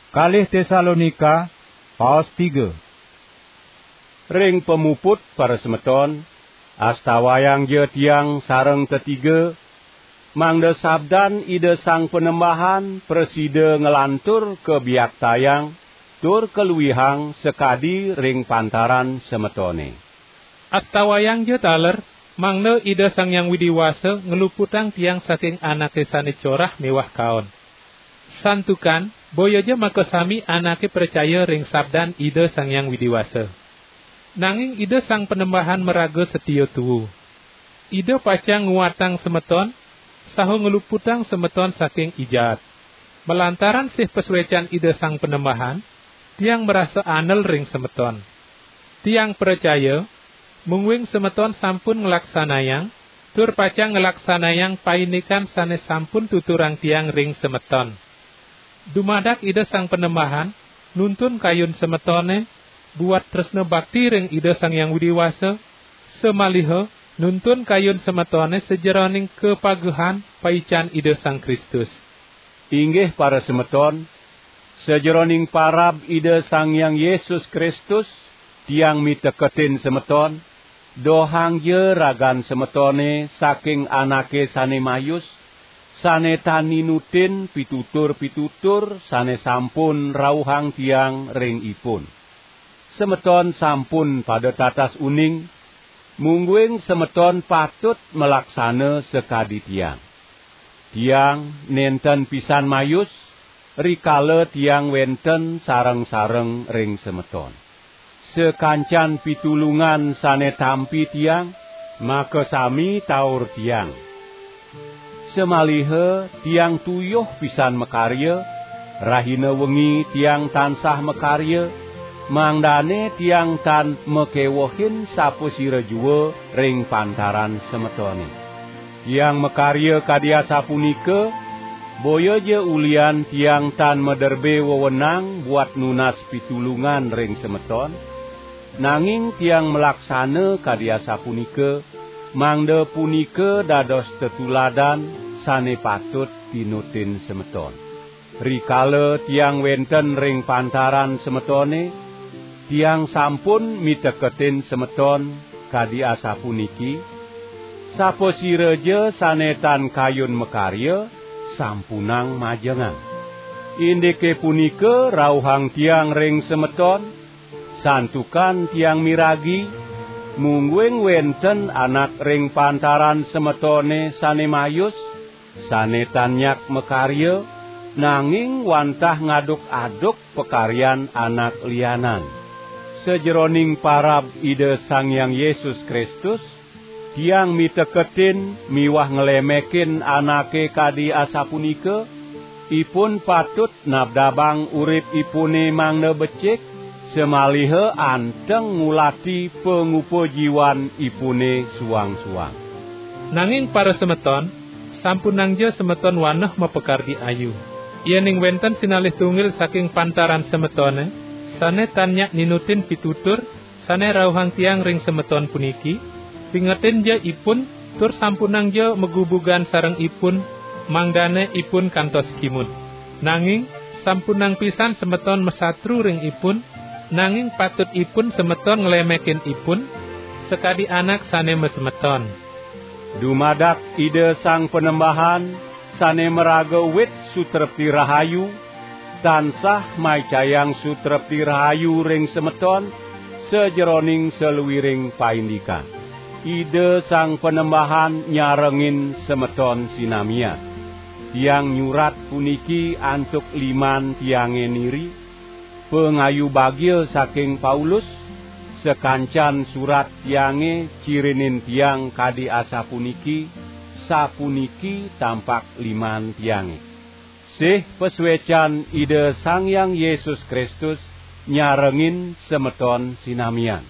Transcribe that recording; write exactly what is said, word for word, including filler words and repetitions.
Kalih Tesalonika, paos tiga. Ring pamuput, para semeton, astawayangja tiang sareng tetiga, mangda sabdan Ida Sang Panembahan prasida nglantur kabiaktayang tur kaluihang sakadi ring pantaran semetone. Astawayangja taler, mangda Ida Sang Hyang Widi Wasa ngluputang tiang saking anake sane corah miwah kaon. Santukan, boyaja makasami anake pracaya ring sabdan Ida Sang Hyang Widi Wasa. Nanging Ida Sang Panembahan maraga satia tua. Ida pacang nguatang semeton, saha ngluputang semeton saking I Jaat. Malantaran sih pasuecan Ida Sang Panembahan, tiang marasa anel ring semeton. Tiang pracaya, mungguing semeton sampun nglaksanayang, tur pacang nglaksanayang paindikan sane sampun tuturang tiang ring semeton. Dumadak Ida Sang Panembahan nuntun kayun semetone buat tresna bakti ring Ida Sang Hyang Widi Wasa, samaliha nuntun kayun semetone sajeroning kapagehan paican Ida Sang Kristus. Inggih para semeton, sajeroning parab Ida Sang Hyang Yesus Kristus, tiang miteketin semeton, dohangja ragan semetone saking anake sane mayus, sane tan ninutin pitutur-pitutur sane sampun rauhang tiang ring ipun. Semeton sampun pada tatas uning, mungguing semeton patut malaksana sakadi tiang. Tiang nenten pisan mayus, rikala tiang wenten sareng-sareng ring semeton. Sakancan pitulungan sane tampi tiang, makasami taur tiang. Samaliha tiang tuyuh pisan makarya, rahina wengi tiang tansah makarya, mangdane tiang tan makewehin sapasira jua ring pantaran semetone. Tiang makarya kadi asapunika, boyaja ulihan tiang tan maderbe wewenang buat nunas pitulungan ring semeton, nanging tiang malaksana kadi asapunika, mangda punika dados tetuladan sane patut tinutin semeton. Rikala tiang wenten ring pantaran semetone, tiang sampun miteketin semeton kadi asapuniki, sapasiraja sane tan kayun makarya, sampunang majengang. Indike punika rauhang tiang ring semeton, santukan tiang miragi, mungguing wenten anak ring pantaran semetone sane mayus, sane tan nyak makarya, nanging wantah ngaduk-aduk pakaryan anak lianan. Sajeroning parab Ida Sang Hyang Yesus Kristus, tiang miteketin miwah nglemekin anake kadi asapunika, ipun patut nabdabang uripipune mangda becik, samaliha anteng ngulati pangupa jiwanipune suang-suang. Nanging para semeton, sampunangja semeton waneh mapakardi ayu. Yening wenten sinalih tunggil saking pantaran semetone, sane tan nyak ninutin pitutur, sane rauhang tiang ring semeton puniki, pingetinja ipun, tur sampunangja magubugan sareng ipun, mangdane ipun kantos kimud. Nanging, sampunang pisan semeton masatru ring ipun, nanging patut ipun semeton nglemekin ipun, sakadi anak sane masemeton. Dumadak Ida Sang Panembahan, sane maraga wit sutrepti rahayu, tansah maicayang sutrepti rahayu ring semeton, sajeroning saluiring paindikan. Ida Sang Panembahan nyarengin semeton sinamian. Tiang nyurat puniki antuk liman tiange niri, pangayu bagia saking Paulus, sakancan surat tiange cirinin tiang kadi asapuniki, sapuniki tampak liman tiange. Sih pasuecan Ida Sang Hyang Yesus Kristus nyarengin semeton sinamian.